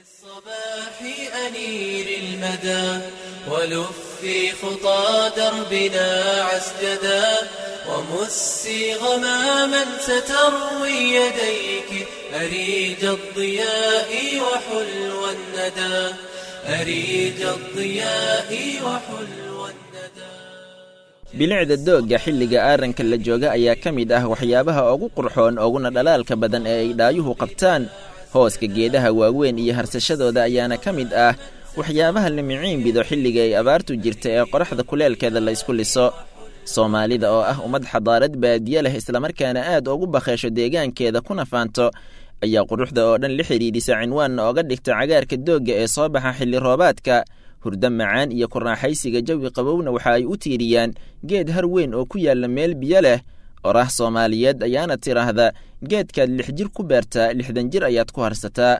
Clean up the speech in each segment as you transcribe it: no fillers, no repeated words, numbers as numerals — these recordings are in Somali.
الصباح أنير المدى ولفي خطى دربنا عسجدا ومسي غماما ستروي يديك أريج الضياء وحلو الندى أريج الضياء وحلو الندى. Bilicda doogga xilliga aaranka la jooga ayaa ka mid ah waxyaabaha ugu qurxoon uguna dhalaalka badan ee ay dhaayuhu qabtaan. Hooska geedaha waaweyn iyo harsashadooda ayaana ka mid ah waxyaabaha la miciin bido xilliga ay abaartu jirta ee qoraxda kuleelkeeda la isku liso. Soomaalida oo ah ummad xadaarad baadiye leh, islamarkaana aad ugu bakheesho deegaankeeda kuna faanto, ayaa quruxda oo dhan la xidhiidhisa, cinwaanna oga dhigta cagaarka doogga ee soo baxa xilli roobaadka. Hurdo macaan iyo ku raaxaysiga jawi qabowna waxa ay u tiiriyaan geed har weyn oo ku yaalla meel biyo leh. Oraah Soomaaliyeed ayaana tidhaahda: geedkaad 6 jir ku beertaa, 60 jir ayaad ku harsataa.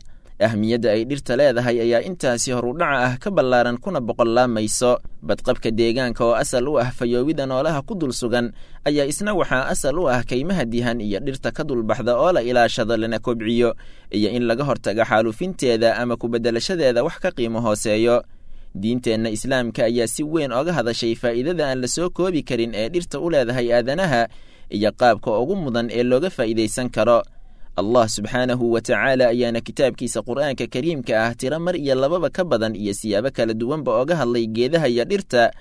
Ahmiyadda ay dhirta leedahay ayaa intaasi horudhaca ah ka ballaaran kuna boqollaamayso. Badqabka deegaanka oo asal u ah fayoowida noolaha ku dul sugan ayaa isna waxaa asal u ah kaymaha dihan iyo dhirta ka dulbaxda oo la ilaashado lana kobciyo, iyo in laga hortaga xaalufinteeda ama ku beddelashadeeda wax ka qiimo hooseeyo. Diinteenna Islaamka ayaa si weyn oga hadashay faa'iidada aan la soo koobi karin ee dhirta u leedahay aadanaha iyo qaabka ugu mudan ee looga faa'iidaysan karo. Allah subxaanahu wa tacaala ayaana kitaabkiisa Qur'aanka Kariimka ah tiro mar iyo lababa ka badan iyo siyaabo kala duwanba oga hadlay geedaha iyo dhirta.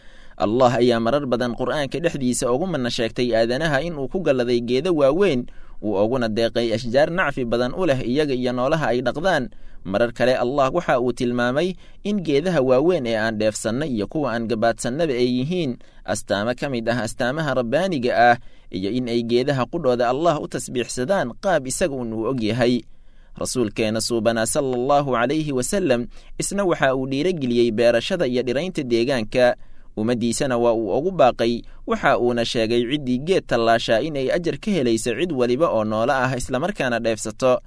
Allah ayaa marar badan Qur'aanka dhexdiisa ugu mana sheegtay aadanaha inuu ku galladay geedo waaweyn, uu uguna deeqay ashjaar nacfi badan u leh iyaga iyo noolaha ay dhaqdaan. Marar kale Allah waxa uu tilmaamay in geedaha waaweyn ee aan dheefsanna iyo kuwa aan gabaadsanaba ay yihiin astaamo ka mid ah astaamaha rabbaaniga ah, iyo in ay geedaha qudhooda Allah u tasbiixsadaan qaab isaga un uu og yahay. Rasuulkeena suubanaa sala allahu calayhi wasallam isna waxa uu dhiirageliyey beerashada iyo dhiraynta deegaanka, ummaddiisana waa uu ugu baaqay. Waxa uuna sheegay ciddii geed tallaashaa in ay ajar ka helayso cid weliba oo noolo ah islamarkaana dheefsato.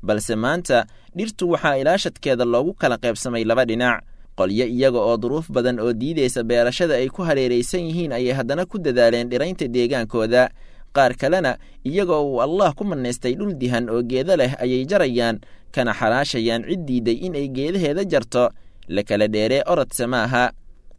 Balse maanta dhirtu waxaa ilaashadkeeda loogu kala qaybsamay laba dhinac. Qolyo iyaga oo duruuf badan oo diidaysa beerashada ay ku hareeraysan yihiin ayay haddana ku dadaaleen dhiraynta deegaankooda. Qaar kalena iyaga oo uu Allah ku manaystay dhul dihan oo geedo leh ayay jarayaan kana xaraashayaan cid diiday in ay geedaheeda jarto. La kala dheeree orodse maaha,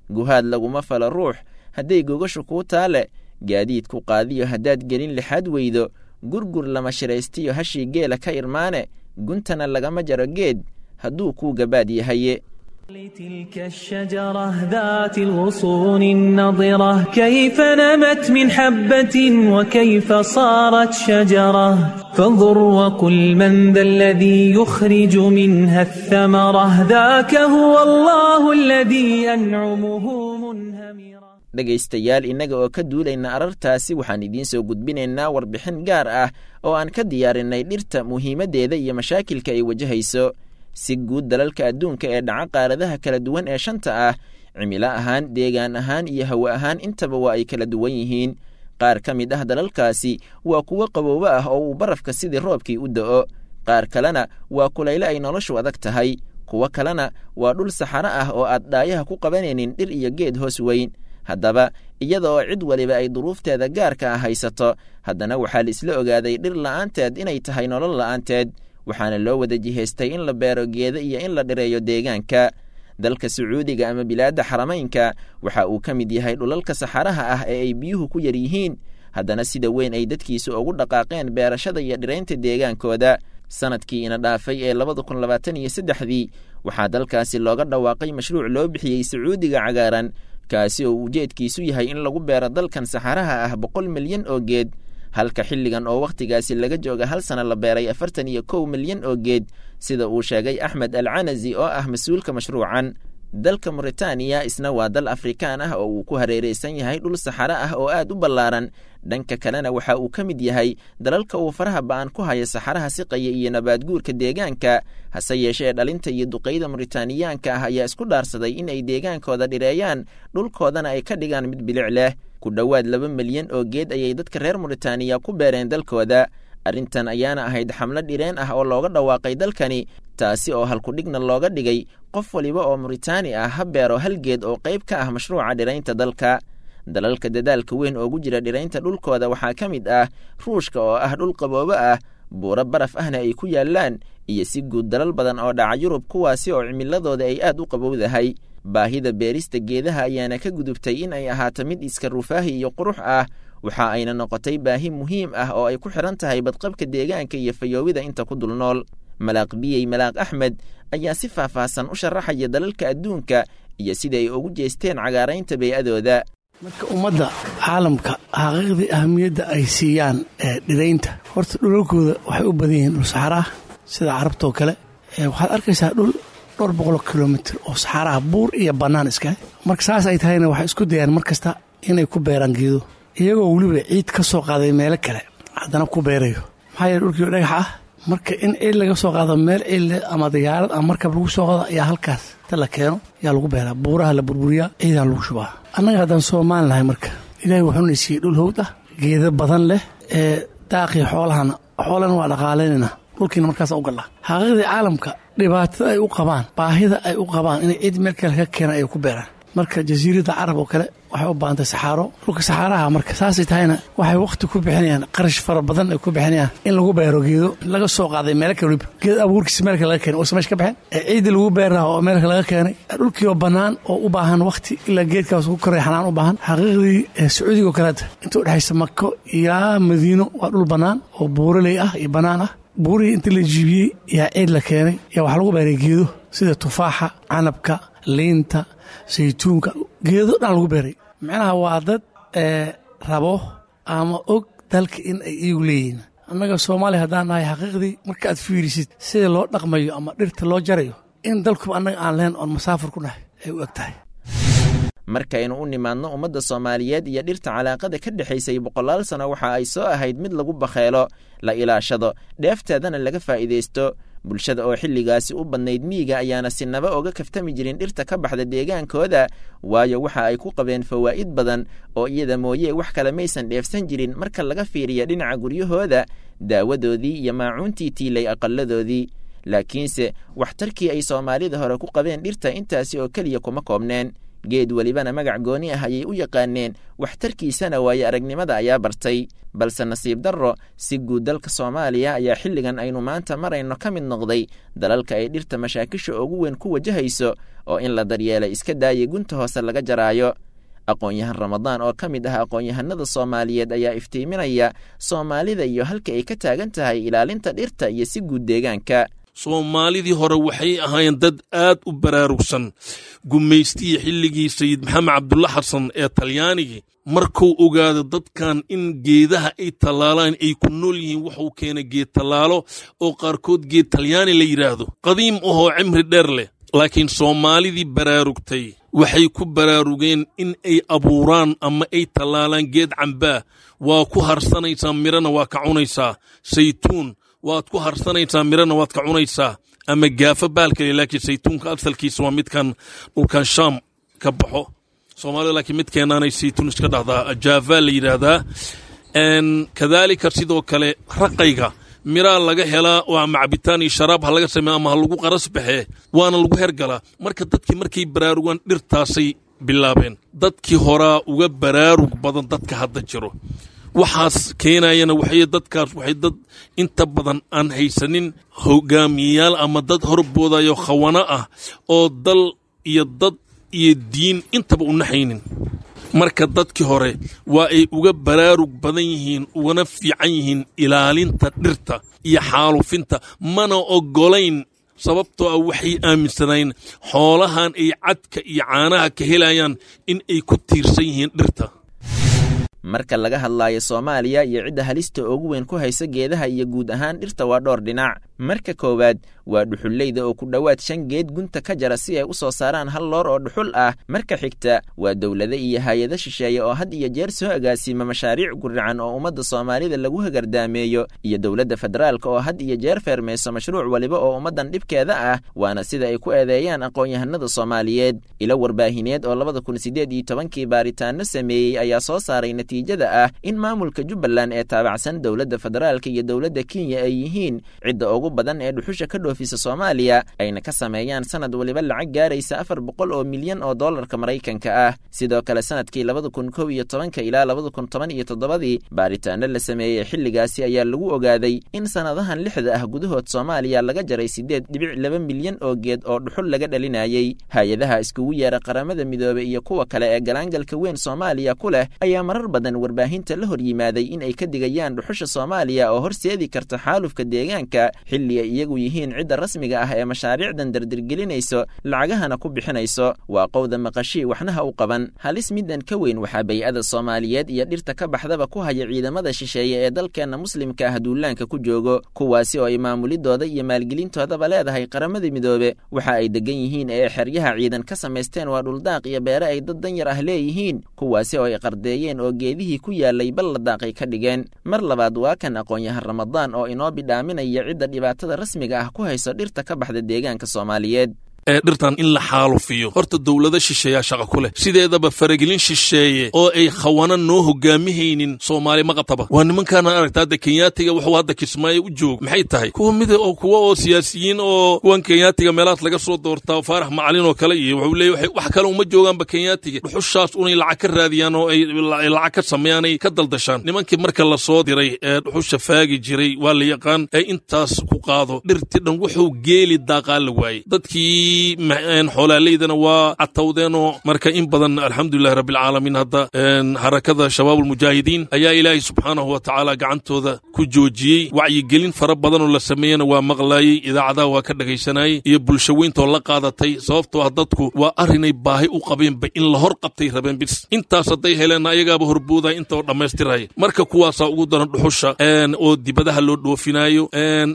guhaad laguma falo ruux hadday gogashu kuu taale, gaadiidku qaadiyo haddaad gelin lixaad weydo, gurgur lama shiraystiyo hashii geela ka irmaane, guntana lagama jaro geed hadduu kuu gabaad yahaye. لتلك الشجرة ذات الغصون النضرة كيف نمت من حبة وكيف صارت شجرة، فانظر وقل من ذا الذي يخرج منها الثمرة، ذاك هو الله الذي أنعمه منهمرة. Dhegaystayaal, innaga oo ka duulayna arartaasi, waxaan idiin soo gudbinaynaa warbixin gaar ah oo aan ka diyaarinay dhirta muhiimaddeeda iyo mashaakilka ay wajahayso. Si guud dalalka adduunka ee dhaca qaaradaha kala duwan ee shanta ah, cimilo ahaan, deegaan ahaan iyo hawo ahaan intaba waa ay kala duwan yihiin. Qaar ka mid ah dalalkaasi waa kuwo qaboobo ah oo uu barafka sidii roobkii u da'o, qaar kalena waa kulayle ay noloshu adag tahay, kuwo kalena waa dhul saxaro ah oo aad dhaayaha ku qabanaynin dhir iyo geed hoos weyn. Haddaba iyada oo cid waliba ay duruufteeda gaarka ah haysato, haddana waxaa la isla ogaaday dhir la'aanteed inay tahay nolol la'aanteed, waxaana loo wada jihaystay in la beero geedo iyo in la dhireeyo deegaanka. Dalka Sacuudiga ama bilaadda Xaramaynka waxa uu ka mid yahay dhulalka saxaraha ah ee ay biyuhu ku yar yihiin, haddana sida weyn ay dadkiisu ugu dhaqaaqeen beerashada iyo dhiraynta deegaankooda. Sanadkii ina dhaafay ee 2023-dii waxaa dalkaasi looga dhawaaqay mashruuc loo bixiyey Sacuudiga Cagaaran, kaasi oo ujeedkiisu yahay in lagu beero dalkan saxaraha ah 100 milyan oo geed, halka xilligan oo wakhtigaasi laga jooga hal sana la beeray 41 milyan oo geed, sida uu sheegay Axmed Al Canazi oo ah mas-uulka mashruucan. Dalka Muritaaniya isna waa dal Afrikaan ah oo uu ku hareeraysan yahay dhul saxaro ah oo aad u ballaaran. Dhanka kalena waxa uu ka mid yahay dalalka uu faraha ba'an ku haya saxaraha siqaya iyo nabaadguurka deegaanka. Hase yeeshee dhalinta iyo duqeyda Muritaaniyaanka ah ayaa isku dhaarsaday in ay deegaankooda dhireeyaan, dhulkoodana ay ka dhigaan mid bilic leh. Ku dhowaad 2 milyan oo geed ayay dadka reer Muritaaniya ku beereen dalkooda. Arrintan ayaana ahayd xamlo dhireen ah oo looga dhawaaqay dalkani, taasi oo halkudhigna looga dhigay qof waliba oo Muritaani ah ha beero hal geed oo qayb ka ah mashruuca dhiraynta dalka. Dalalka dadaalka weyn oogu jira dhiraynta dhulkooda waxaa ka mid ah Ruushka oo ah dhul qaboobo ah, Buuro baraf ahna ay ku yaallaan, iyo si guud dalal badan oo dhaca Yurub, kuwaasi oo cimiladooda ay aad u qabowdahay. Baahida beerista geedaha ayaana ka gudubtay in ay ahaato mid iska rufaahi iyo qurux ah, waxa ayna noqotay baahi muhiim ah oo ay ku xidhan tahay badqabka deegaanka iyo fayoowida inta ku dul nool. Malaaq Biyey Malaaq Axmed ayaa si faahfaahsan u sharaxaya dalalka adduunka iyo sida ay ugu jeesteen cagaaraynta bey'adooda. Marka ummadda caalamka xaqiiqdii ahamiyadda ay siiyaan dhiraynta, horta dhulalkooda waxay u badan yihiin dhul saxaraah sida Carabtoo kale. Waxaad arkaysaa dhul dhowr boqoloo kilomitir oo saxaaraha, buur iyo bannaan iskale. Marka saas ay tahayna, waxay isku dayaan mar kasta inay ku beeraan geedo, iyagoo weliba ciid ka soo qaaday meelo kale haddana ku beerayo. Maxaa yeele, dhulkii dhagax ah, marka in ciid laga soo qaado meel ciidle ama diyaarad ama markab lagu soo qaado ayaa halkaas ta la keeno ayaa lagu beeraa, buuraha la burburiyaa, ciidaa lagu shubaa. Annaga haddaan Soomaali nahay, marka Ilaahay wuxuuna siiyey dhul howd ah, geedo badan leh, ee daaqii xoolahana, xoolana waa dhaqaalaynayna, dhulkiina markaasa u gallaa. Xaqiiqdii caalamka dhibaatada ay u qabaan, baahida ay u qabaan inay ciid meel kale ka keenaan ay ku beeraan. Marka Jasiiradda Carab oo kale waxay u baahantay saxaaro, dhulka saxaaraha. Marka saasay tahayna, waxay wakhti ku bixinayaan, qarash fara badan ay ku bixinayaan in lagu beero geedo laga soo qaaday meelo kale, weliba geed abuurkiisa meel kale laga keenay uusan meesha ka baxeen, ee ciidii lagu beeri lahaa oo meel kale laga keenay, dhulkii oo bannaan oo u baahan wakhti ilaa geedkaas ku koray, xanaan u baahan. Xaqiiqdii Sacuudiga oo kaleeta, inta udhexaysa Mako ilaa Madiino waa dhul bannaan oo buuraley ah iyo bannaan ah. Buurihii inta la jiibiyey yaa ciid la keenay, yaa waxaa lagu beeray geedo sida tufaaxa, canabka, liinta, saytuunka, geedo dhan lagu beeray. Macnaha waa dad rabo ama og dalka in ay iigu leeyihiin. Annaga Soomaaliya haddaan nahay, xaqiiqdii marka aad fiirisid sida loo dhaqmayo ama dhirta loo jarayo, in dalkuba annaga aan lahayn oon masaafur ku nahay ay u eg tahay. Markaynu u nimaadno ummadda Soomaaliyeed iyo dhirta, calaaqada ka dhexaysay boqolaal sano waxa ay soo ahayd mid lagu bakheelo, la ilaashado, dheefteedana laga faa'iidaysto. Bulshada oo xilligaasi u badnayd miyiga ayaana sinaba oga kaftami jirin dhirta ka baxda deegaankooda, waayo waxa ay ku qabeen fawaa'id badan oo iyada mooye wax kale maysan dheefsan jirin marka laga fiiriya dhinaca guryahooda, daawadoodii iyo maacuuntii tiilay aqalladoodii. Laakiinse waxtarkii ay Soomaalida hore ku qabeen dhirta intaasi oo keliya kuma koobneen. Geed welibana magac gooni ah ayay u yaqaaneen, waxtarkiisana waayo aragnimada ayaa bartay. Balse nasiib darro, si guud dalka Soomaaliya ayaa xilligan aynu maanta marayno ka mid noqday dalalka ay dhirta mashaakisha ugu weyn ku wajahayso, oo in la daryeelay iska daayay gunta hoose laga jaraayo. Aqoon-yahan Ramadaan oo ka mid ah aqoon-yahanada Soomaaliyeed ayaa iftiiminaya Soomaalida iyo halka ay ka taagan tahay ilaalinta dhirta iyo si guud deegaanka. Soomaalidii hore waxay ahaayeen dad aad u baraarugsan. Gumaystihii xilligii Sayid Maxamed Cabdulla Xasan ee Talyaanigii, markuu ogaado dadkan in geedaha ay tallaalaan ay ku nool yihiin, wuxuu keenay geed tallaalo oo qaarkood geed Talyaani la yidhaahdo, qadiim ahoo cimri dheer leh. Laakiin Soomaalidii baraarugtay waxay ku baraarugeen in ay abuuraan ama ay tallaalaan geed cambaa, waa ku harsanaysaa, mirana waa ka cunaysaa. Saytuun waad ku harsanaysaa, mirana waad ka cunaysaa, ama gaafo baalkale. Laakiin saytuunka asalkiisa waa midkan dhulkan Shaam ka baxo Soomaalida, laakiin midkeenaanay saytuun iska dhahdaa, jaava la yidhaahdaa. Kadaalika sidoo kale raqayga miraa laga helaa oo ama cabitaan iyo sharaab ha laga sameeya ama ha lagu qaras baxee, waana lagu hergalaa. Marka dadkii markay baraarugaan dhirtaasay bilaabeen. Dadkii horaa uga baraarug badan dadka hadda jiro. Waxaas keenayana waxay dadkaas waxay dad inta badan aan haysanin hogaamiyeyaal ama dad horboodayo khawana ah oo dal iyo dad iyo diin intaba u naxaynin. Marka dadkii hore waa ay uga baraarug badan yihiin, ugana fiican yihiin ilaalinta dhirta iyo xaalufinta, mana oggolayn, sababtoo ah waxay aaminsanayn xoolahan ay cadka iyo caanaha ka helayaan in ay ku tiirsan yihiin dhirta. Marka laga hadlaayo Soomaaliya iyo cidda halista ugu weyn ku haysa geedaha iyo guud ahaan dhirta, waa dhowr dhinac. Marka koowaad waa dhuxulleyda oo ku dhowaad 5 geed gunta ka jara si ay u soo saaraan hal loor oo dhuxul ah. Marka xigta waa dowlado iyo hay-ado shisheeye oo had iyo jeer soo agaasima mashaariic guracan oo ummadda Soomaalida lagu hagardaameeyo, iyo dowladda federaalka oo had iyo jeer feermayso mashruuc waliba oo ummaddan dhibkeeda ah, waana sida ay ku eedeeyaan aqoon-yahanada Soomaaliyeed. Ilo warbaahineed oo 2018-kii baaritaano sameeyey ayaa soo saaray natiijada ah in maamulka Jubbaland ee taabacsan dowladda federaalka iyo dowladda Kenya ay yihiin cidda ugu badan ee dhuxusha ka dhoofisa. dhoofiso Soomaaliya, ayna ka sameeyaan sanad waliba lacag gaaraysa 400 oo milyan oo doolarka Maraykanka ah. Sidoo kale sanadkii 2011 ilaa 2017 baaritaano la sameeyey xilligaasi ayaa lagu ogaaday in sanadahan 6 ah gudahood Soomaaliya laga jaray 8.2 milyan oo geed oo dhuxul laga dhalinayay. Hay-adaha iskugu yeera Qaramada Midoobey iyo kuwa kale ee galaangalka weyn Soomaaliya ku leh ayaa marar badan warbaahinta la hor yimaaday in ay ka digayaan dhuxusha Soomaaliya oo horseedi karta xaalufka deegaanka, xilli ay iyagu yihiin cidda rasmiga ah ee mashaariicdan dardargelinayso, lacagahana ku bixinayso. Waa qowda maqashii waxnaha u qaban. Halis midan ka weyn waxaa bay-ada Soomaaliyeed iyo dhirta ka baxdaba ku haya ciidamada shisheeye ee dalkeenna muslimka ah duulaanka ku joogo, kuwaasi oo ay maamulidooda iyo maalgelintoodaba leedahay Qaramada Midoobe. Waxa ay degan yihiin ee xeryaha ciidan ka samaysteen waa dhuldaaq iyo beere ay dad danyar ah leeyihiin, kuwaasi oo ay qardeeyeen oo geedihii ku yaalay bal la daaqay ka dhigeen. Mar labaad waa kan aqoon-yahan Ramadaan oo inoo bidhaaminaya cidda dhibaatada rasmiga ah ku hayso dhirta ka baxda deegaanka Soomaaliyeed. Ee dhirtan in la xaalufiyo horta dowlado shisheeyaa shaqa ku leh. Sideedaba faragelin shisheeye oo ay khawana noo hogaamihaynin Soomaali ma qabtaba. Waa nimankaana aragta hadda Kenyaatiga wuxuu hadda Kismaayo u joogo maxay tahay? Kuwa mid oo kuwa oo siyaasiyiin oo kuwan Kenyaatiga meelahaas laga soo doortaa, Faarax Macalin oo kale, iyo wuxuu leeyahay wax kale uma joogaanba Kenyaatiga, dhuxushaas unay lacag ka raadiyaan oo ay lacag ka sameeyaan ay ka daldashaan. Nimankii marka la soo diray ee dhuxusha faagi jiray waa la yaqaan, ee intaas ku qaado dhirti dhan wuxuu geeli daaqaa la waayey. Dadkii xoolaaleydana waa catawdeenoo. Marka in badan alxamdulilahi rabbilcaalamiin hadda xarakada shabaabulmujaahidiin ayaa Ilaahay subxaanahu wa tacaala gacantooda ku joojiyey. Wacyigelin fara badanoo la sameeyena waa maqlaayey, idaacadaha waa ka dhegaysanayey iyo bulsho weyntoo la qaadatay, sababtoo ah dadku waa arrinay baahi u qabeenba in la hor qabtay rabeen bis. Intaas hadday heleenna ayagaaba horboodaya inta oo dhammaystiraya. Marka kuwaasaa ugu daran dhuxusha oo dibadaha loo dhoofinaayo.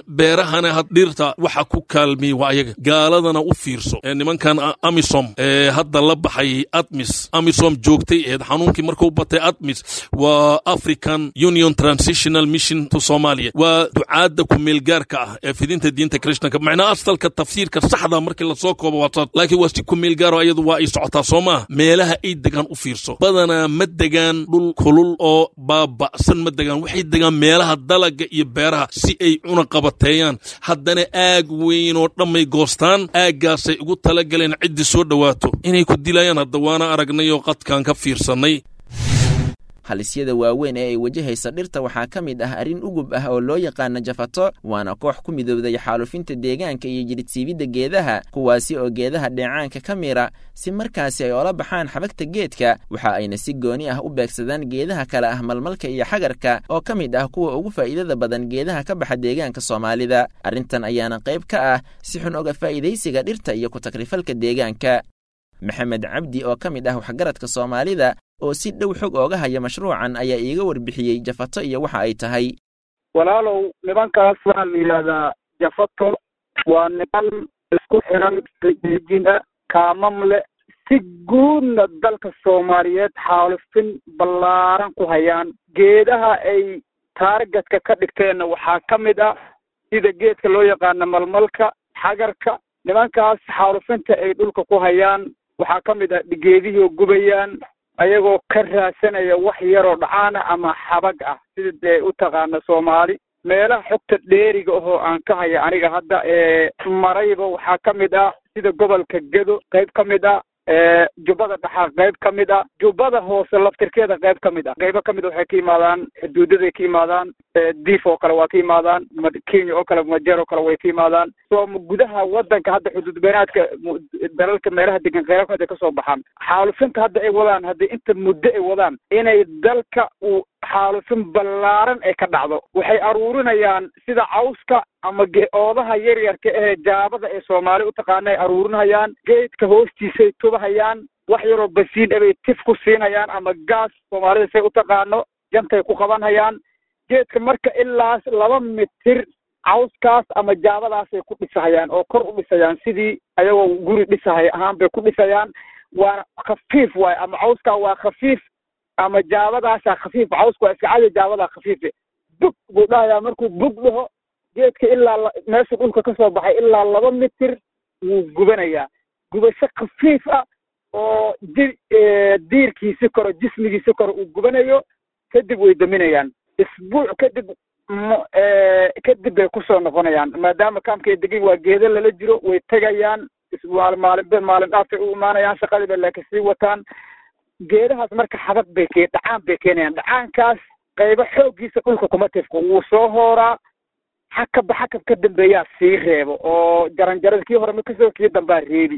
Beerahana had dhirta waxa ku kaalmiyey waa ayaga gaaladana. U fiirso nimankan Amisom ee hadda la baxay ATMIS, Amisom joogtay eed xanuunkii markuu batay. ATMIS waa African Union Transitional Mission to Somalia, waa ducaadda kumeelgaarka ah ee fidinta diinta Krishtanka. Macnaa asalka tafsiirka saxda markii lasoo koobo waa saas, laakiin waa si kumeelgaaro, ayadu waa ay socotaa soo maaha. Meelaha ay degaan u fiirso, badanaa ma degaan dhul kulul oo baaba'san, ma degaan. Waxay degaan meelaha dalaga iyo beeraha si ay cuna qabateeyaan. Haddana aag weyn oo dhammay goostaan, aaggaasay ugu talagaleen ciddii soo dhowaato inay ku dilayaan. Hadda waana aragnay oo qadkaan ka fiirsannay. Halisyada waaweyn ee ay wajahaysa dhirta waxaa ka mid ah arrin ugub ah oo loo yaqaano jafato, waana koox ku midowday xaalufinta deegaanka iyo jiridsiibidda geedaha, kuwaasi oo geedaha dheecaanka ka mira si markaasi ay ola baxaan xabagta geedka. Waxa ayna si gooni ah u beegsadaan geedaha kale ah malmalka iyo xagarka oo ka mid ah kuwa ugu faa'iidada badan geedaha ka baxa deegaanka Soomaalida. Arrintan ayaana qayb ka ah si xun oga faa'iidaysiga dhirta iyo ku takrifalka deegaanka. Maxamed Cabdi oo ka mid ah waxgaradka Soomaalida oo si dhow xog ooga haya mashruucan ayaa iiga warbixiyey jafato iyo waxa ay tahay. Walaalow, nimankaas waxaa la yidhaahdaa jafato. Waa niman isku xiran, rijina kaamam leh, si guudna dalka Soomaaliyeed xaalufin ballaaran ku hayaan. Geedaha ay taargetka ka dhigteenna waxaa ka mid ah sida geedka loo yaqaano malmalka, xagarka. Nimankaas xaalufinta ay dhulka ku hayaan waxaa ka mid ah geedihii oo gubayaan, ayagoo ka raadsanaya wax yaroo dhacaana ama xabag ah, sida dee u taqaana Soomaali. Meelaha xogta dheeriga ahoo aan ka haya aniga hadda ee marayba waxaa ka mid ah sida gobolka Gedo qayb ka mid ah, Jubbada Dhaxa qayb ka mid ah, Jubbada Hoose laftirkeeda qayb ka mid ah. Qaybo ka mid a waxay ka yimaadaan xuduudaday ka yimaadaan, Diif oo kale waa ka yimaadaan, Kenya oo kale, Majeer oo kale way ka yimaadaan. Soo gudaha waddanka hadda xuduud beenaadka dalalka meelaha degan qaybo kamid ay kasoo baxaan. Xaalufinta hadda ay wadaan, haddii inta muddo ay wadaan inay dalka uu xaalufin ballaaran ay ka dhacdo. Waxay aruurinayaan sida cawska ama oodaha yaryarka ee jaabada ee Soomaali u taqaana ay aruurinayaan, geedka hoostiisay tubahayaan, wax yaroo basiin abay tif ku siinayaan ama gaas Soomaalida say u taqaano, jantay ku qabanhayaan geedka. Marka ilaa 2 mitir cawskaas ama jaabadaasay ku dhisahayaan oo kor u dhisayaan, sidii ayagoo guri dhisahaya ahaan bay ku dhisayaan. Waana khafiif waay, ama cawskaa waa khafiif ama jaabadaasaa khafiif. Cawsku waa iska cadi, jaabadaa khafiife. Bug buu dhahayaa. Markuu bug dhaho, geedka ilaa meesha dhulka ka soo baxay ilaa 2 mitir wuu gubanayaa, gubasho khafiif ah oo diirkiisi koro, jismigiisi koro uu gubanayo. Kadib way daminayaan. Isbuuc kadib Kadib bay kusoo noqonayaan, maadaama kaamka ay degan waa geedo lala jiro, way tegayaan maalin maalin dhaafay u imaanayaan, shaqadii bay laakiin sii wataan. Geedahaas marka xabag bay ke dhacaan bay keenayaan. Dhacaankaas qaybo xooggiisa dhulka kuma tifko, wuu soo hooraa, xakabba xakab ka dambeeyaa sii reebo oo jaranjarada kii hore ma kasoo kii dambaa reebi.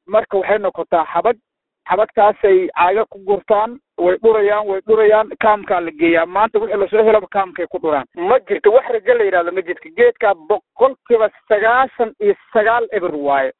Marka waxay noqotaa xabag, xabagtaasay caaga ku gurtaan, way dhurayaan, way dhurayaan, kaamkaa la geeyaa. Maanta wixii lasoo helaba kaamkay ku dhuraan. Ma jirto wax rajo la yidhahdo, ma jirto. Geedkaa 99% eber waayo.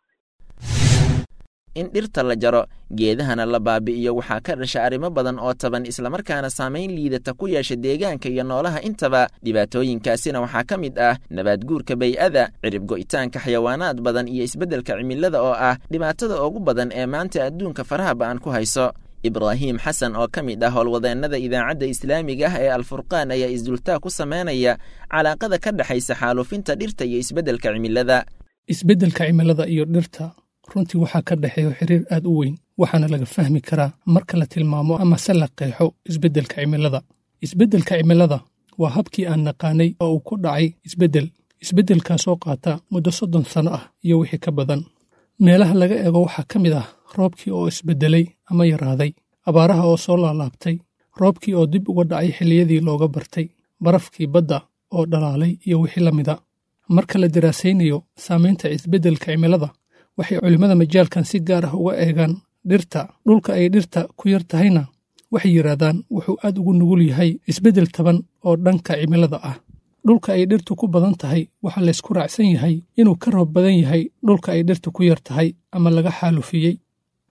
In dhirta la jaro, geedahana la baabi'iyo, waxaa ka dhasha arrimo badan oo taban, islamarkaana saamayn liidata ku yeesha deegaanka iyo noolaha intaba. Dhibaatooyinkaasina waxaa ka mid ah nabaadguurka bay'ada, cirib go'itaanka xayawaanaad badan iyo isbeddelka cimilada oo ah dhibaatada ugu badan ee maanta adduunka faraha ba'an ku hayso. Ibraahim Xasan oo ka mid ah howlwadeennada idaacadda islaamiga ah ee Alfurqaan ayaa isdultaa ku sameynaya calaaqada ka dhexaysa xaalufinta dhirta iyo isbeddelka cimilada. Isbeddelka cimilada iyo dhirta runtii waxaa ka dhexeeyo xiriir aad u weyn, waxaana laga fahmi karaa marka la tilmaamo ama se la qeexo isbeddelka cimilada. Isbeddelka cimilada waa habkii aan naqaanay oo uu ku dhacay isbeddel, isbeddelkaasoo qaata muddo 30 sano ah iyo wixii ka badan. Meelaha laga eego waxaa ka mid ah roobkii oo isbeddelay ama yaraaday, abaaraha oo soo laalaabtay, roobkii oo dib uga dhacay xilliyadii looga bartay, barafkii badda oo dhalaalay iyo wixii la mida. Marka la daraasaynayo saamaynta isbeddelka cimilada, waxay culimmada majaalkan si gaar ah uga eegaan dhirta. Dhulka ay dhirta ku yar tahayna waxay yidhaahdaan wuxuu aad ugu nugul yahay isbeddel taban oo dhanka cimilada ah. Dhulka ay dhirtu ku badan tahay waxaa laysku raacsan yahay inuu ka roob badan yahay dhulka ay dhirtu ku yar tahay ama laga xaalufiyey.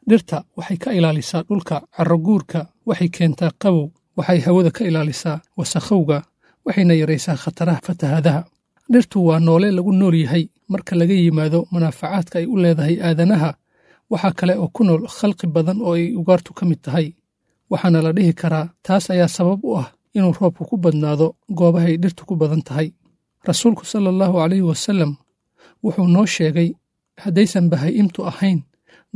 Dhirta waxay ka ilaalisaa dhulka carroguurka, waxay keentaa qabow, waxay hawada ka ilaalisaa wasakhowga, waxayna yaraysaa khataraha fatahaadaha. Dhirtu waa noole lagu nool yahay. Marka laga yimaado munaafacaadka ay u leedahay aadanaha, waxaa kale oo ku nool khalqi badan oo ay ugaartu ka mid tahay, waxaana la dhihi karaa taas ayaa sabab u ah inuu roobku ku badnaado goobahay dhirtu ku badan tahay. Rasuulku sala allahu calayhi wasallam wuxuu noo sheegay haddaysan bahaa'imtu ahayn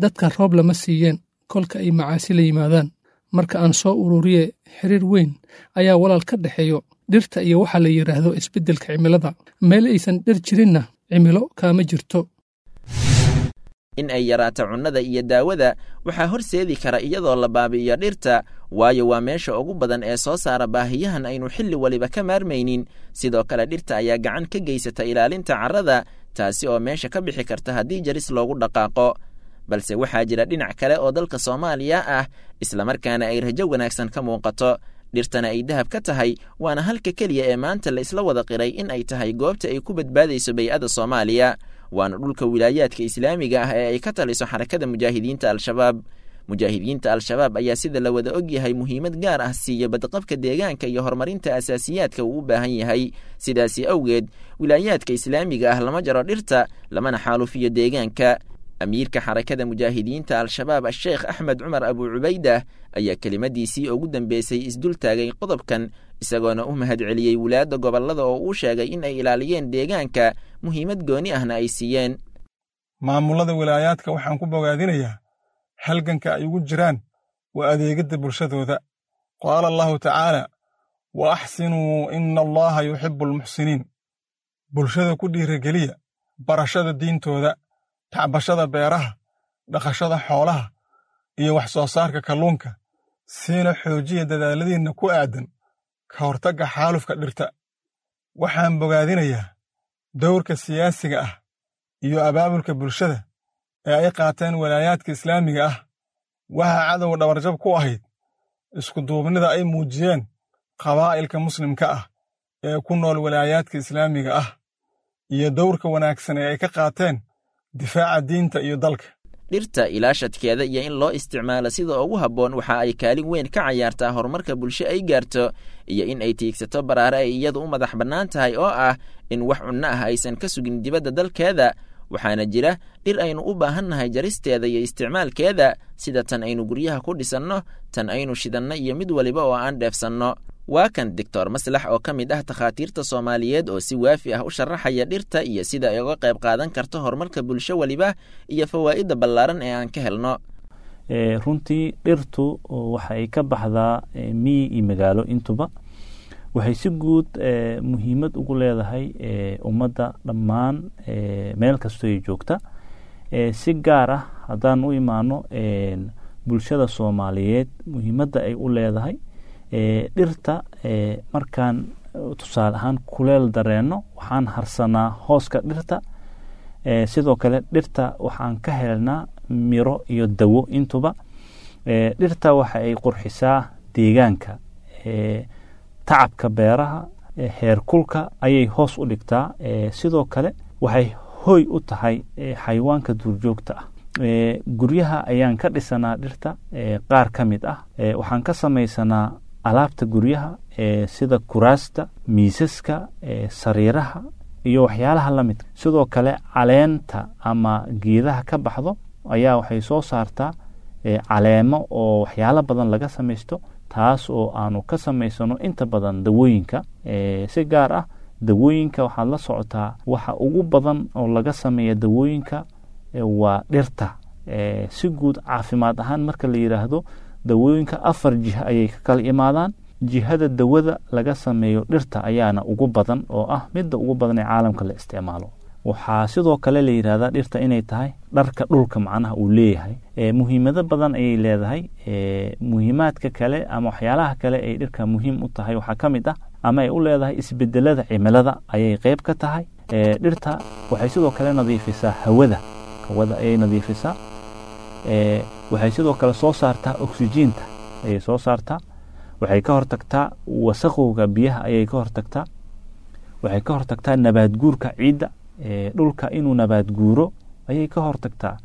dadka roob lama siiyeen kolka ay macaasi la yimaadaan. Marka aan soo ururiye, xiriir weyn ayaa walaal ka dhexeeyo dhirta iyo waxaa la yidhaahdo isbeddelka cimilada. Meel aysan dhir jirinna cimilo kaama jirto. In ay yaraato cunnada iyo daawada waxaa horseedi kara iyadoo la baabi'iyo dhirta, waayo waa meesha ugu badan ee soo saara baahiyahan aynu xilli waliba ka maarmaynin. Sidoo kale dhirta ayaa gacan ka geysata ilaalinta carrada, taasi oo meesha ka bixi karta haddii jaris loogu dhaqaaqo. Balse waxaa jira dhinac kale oo dalka Soomaaliya ah, islamarkaana ay rajo wanaagsan ka muuqato, dhirtana ay dahab ka tahay, waana halka keliya ee maanta la isla wada qiray in ay tahay goobta ay ku badbaadayso bay'ada Soomaaliya, waana dhulka wilaayaadka islaamiga ah ee ay ka taliso Xarakada Mujaahidiinta Al-Shabaab. Mujaahidiinta Al-Shabaab ayaa sida la wada ogyahay muhiimad gaar ah siiya badqabka deegaanka iyo horumarinta asaasiyaadka uu u baahan yahay. Sidaasi awgeed wilaayaadka islaamiga ah lama jaro dhirta, lamana xaalufiyo deegaanka. Amiirka Xarakada Mujaahidiinta Al-Shabaab Asheekh Axmed Cumar Abu Cubaydah ayaa kelimadiisii ugu dambeysay isdul taagay qodobkan, isagoona u mahadceliyey wulaadda gobollada oo uu sheegay in ay ilaaliyeen deegaanka, muhiimad gooni ahna ay siiyeen. Maamullada wilaayaadka waxaan ku bogaadinayaa halganka ay ugu jiraan waa adeegidda bulshadooda. Qaala Allahu tacaala: wa axsinuu ina allaha yuxibbu almuxsiniin. Bulshada ku dhiirigeliya barashada diintooda, tacbashada beeraha, dhaqashada xoolaha iyo wax soo saarka kalluunka, siina xoojiya dadaaladiinna ku aaddan ka hortagga xaalufka dhirta. Waxaan bogaadinayaa dowrka siyaasiga ah iyo abaabulka bulshada ee ay qaateen walaayaadka islaamiga ah. Waxaa cadowga dhabarjab ku ahayd iskuduubnida ay muujiyeen qabaa'ilka muslimka ah ee ku nool walaayaadka islaamiga ah iyo dowrka wanaagsan ee ay ka qaateen difaaca diinta iyo dalka. Dhirta ilaashadkeeda iyo in loo isticmaalo sida ugu habboon waxa ay kaalin weyn ka cayaartaa horumarka bulsho ay gaarto iyo in ay tiigsato baraare ay iyadu u madax bannaan tahay, oo ah in wax cunno ah aysan ka sugin dibadda dalkeeda. Waxaana jira dhir aynu u baahannahay jaristeeda iyo isticmaalkeeda, sida tan aynu guryaha ku dhisanno, tan aynu shidanno iyo mid waliba oo aan dheefsanno. Waa kan Doctor Maslax oo ka mid ah takhaatiirta Soomaaliyeed oo si waafi ah u sharaxaya dhirta iyo sida ay uga qayb qaadan karto horumarka bulsho waliba iyo fawaa'idda ballaaran ee aan ka helno. Runtii dhirtu waxay ka baxdaa miyi iyo magaalo intuba. Waxay si guud muhiimad ugu leedahay ummadda dhammaan meel kastoo ay joogta. Si gaar ah haddaan u imaano bulshada Soomaaliyeed, muhiimadda ay u leedahay dhirta, markaan tusaale ahaan kuleel dareenno, waxaan harsanaa hooska dhirta. Sidoo kale dhirta waxaan ka helnaa miro iyo dawo intuba. Dhirta waxa ay qurxisaa deegaanka, tacabka beeraha, heerkulka ayay hoos u dhigtaa. Sidoo kale waxay hoy u tahay xayawaanka duurjoogta ah. Guryaha ayaan ka dhisanaa dhirta qaar ka mid ah. Waxaan ka samaysanaa alaabta guryaha sida kuraasta, miisaska, sariiraha iyo waxyaalaha la midka. Sidoo kale caleenta ama geedaha ka baxdo ayaa waxay soo saartaa caleemo oo waxyaalo badan laga samaysto, taas oo aanu ka samaysano inta badan dawooyinka. Si gaar ah dawooyinka waxaad la socotaa, waxa ugu badan oo laga sameeya dawooyinka waa dhirta. Si guud caafimaad ahaan marka la yidhaahdo, dawooyinka 4 jiha ayay ka kala imaadaan. Jihada dawada laga sameeyo dhirta ayaana ugu badan, oo ah midda ugu badan ee caalamka la isticmaalo. Waxaa sidoo kale la yidhahdaa dhirta inay tahay dharka dhulka, macnaha uu leeyahay. Muhiimado badan ayay leedahay. Muhiimaadka kale ama waxyaalaha kale ay dhirka muhiim u tahay waxaa ka mid ah, ama ay u leedahay, isbedelada cimilada ayay qeyb ka tahay. Dhirta waxay sidoo kale nadiifisaa hawada, hawada ayay nadiifisaa. Waxay sidoo kale soo saartaa oksijiinta ayay soo saartaa. Waxay ka hortagtaa wasaqowga biyaha ayay ka hortagtaa. Waxay ka hortagtaa nabaad guurka ciidda, dhulka inuu nabaad guuro ayay ka hortagtaa.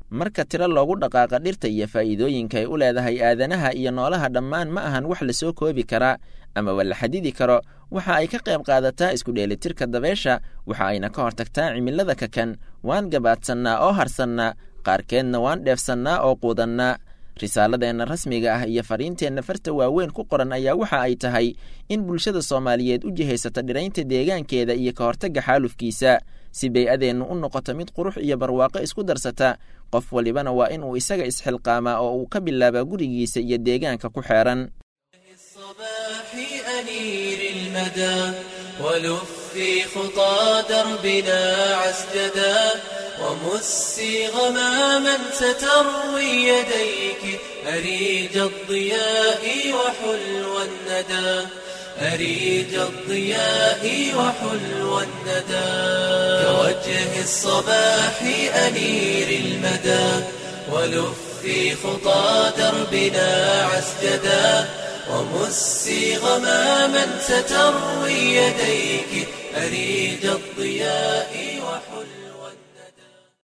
Marka tiro loogu dhaqaaqa dhirta iyo faa'iidooyinka ay u leedahay aadanaha iyo noolaha dhammaan, ma ahan wax lasoo koobi karaa amaba la xadidi karo. Waxa ay ka qayb qaadataa isku dheelitirka dabeesha, waxa ayna ka hortagtaa cimilada kakan. Waan gabaadsannaa oo harsannaa, qaarkeedna waan dheefsannaa oo quudannaa. Risaaladeenna rasmiga ah iyo fariinteenna farta waaweyn ku qoran ayaa waxa ay tahay in bulshada Soomaaliyeed u jihaysata dhiraynta deegaankeeda iyo ka hortagga xaalufkiisa, si bay-adeennu u noqoto mid qurux iyo barwaaqo isku darsata. Qof walibana waa inuu isaga isxilqaamaa oo uu ka bilaabaa gurigiisa iyo deegaanka ku xeeran. ولفي خطى دربنا عسجدا، ومسي غماما ستروي يديك أريج الضياء وحلو الندى، أريج الضياء وحلو الندى. كوجه الصباح أنير المدى، ولفي خطى دربنا عسجدا، ومسي غماما ستروي يديك أريج الضياء وحلو